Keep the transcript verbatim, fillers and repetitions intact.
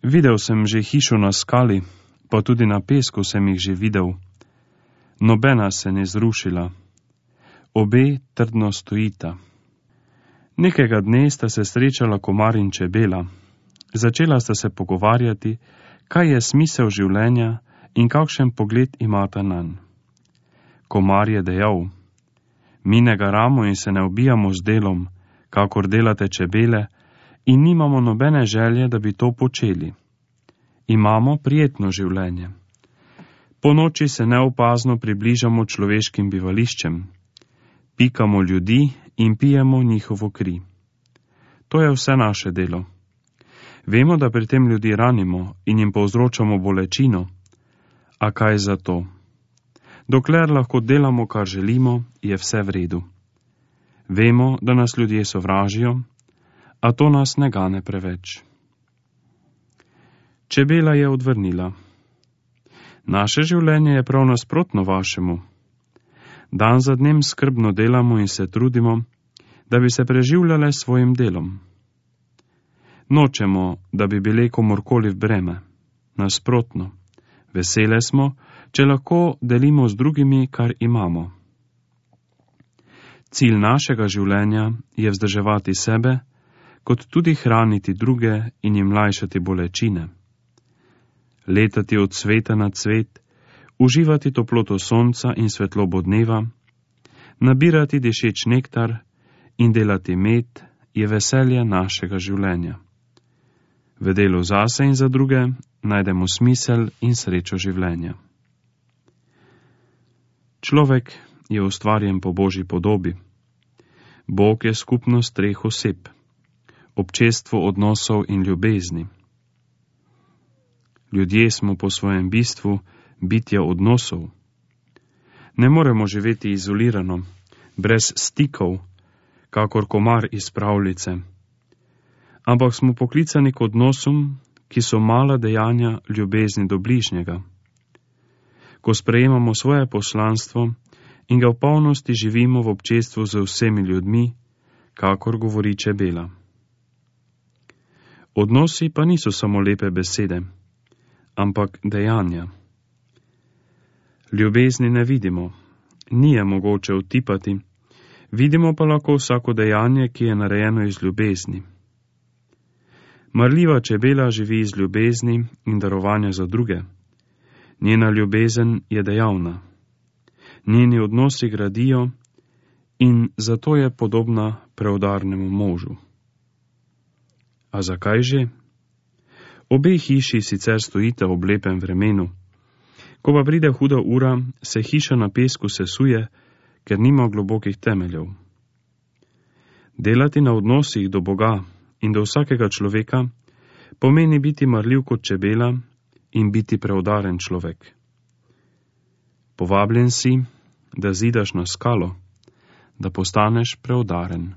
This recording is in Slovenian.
Videl sem že hišo na skali, pa tudi na pesku sem jih že videl. Nobena se ne zrušila. Obe trdno stojita. Nekega dne sta se srečala komar in čebela. Začela sta se pogovarjati, kaj je smisel življenja in kakšen pogled imata nanj. Komar je dejal: mi ne garamo in se ne ubijamo z delom, kakor delate čebele, in nimamo nobene želje, da bi to počeli. Imamo prijetno življenje. Po noči se neopazno približamo človeškim bivališčem. Pikamo ljudi in pijemo njihovo kri. To je vse naše delo. Vemo, da pri tem ljudi ranimo in jim povzročamo bolečino, a kaj za to? Dokler lahko delamo, kar želimo, je vse v redu. Vemo, da nas ljudje sovražijo, a to nas ne gane preveč. Čebela je odvrnila: naše življenje je prav nasprotno vašemu. Dan za dnem skrbno delamo in se trudimo, da bi se preživljale s svojim delom. Nočemo, da bi bile komorkoli v breme. Nasprotno, vesele smo, če lahko delimo z drugimi, kar imamo. Cilj našega življenja je vzdrževati sebe, kot tudi hraniti druge in jim lajšati bolečine. Letati od cveta na cvet, uživati toploto sonca in svetlobo dneva, nabirati dišeč nektar in delati med je veselje našega življenja. V delu zase in za druge najdemo smisel in srečo življenja. Človek je ustvarjen po Božji podobi. Bog je skupnost treh oseb, občestvo odnosov in ljubezni. Ljudje smo po svojem bistvu bitja odnosov. Ne moremo živeti izolirano, brez stikov, kakor komar iz pravljice, ampak smo poklicani k odnosom, ki so mala dejanja ljubezni do bližnjega. Ko sprejemamo svoje poslanstvo in ga v polnosti živimo v občestvu z vsemi ljudmi, kakor govori čebela. Odnosi pa niso samo lepe besede, ampak dejanja. Ljubezni ne vidimo, ni je mogoče utipati, vidimo pa lahko vsako dejanje, ki je narejeno iz ljubezni. Marljiva čebela živi iz ljubezni in darovanja za druge. Njena ljubezen je dejavna. Njeni odnosi gradijo in zato je podobna preudarnemu možu. A zakaj že? Obe hiši sicer stojita ob lepem vremenu. Ko pa pride huda ura, se hiša na pesku sesuje, ker nima globokih temeljev. Delati na odnosih do Boga in do vsakega človeka pomeni biti marljiv kot čebela in biti preudaren človek. Povabljen si, da zidaš na skalo, da postaneš preudaren.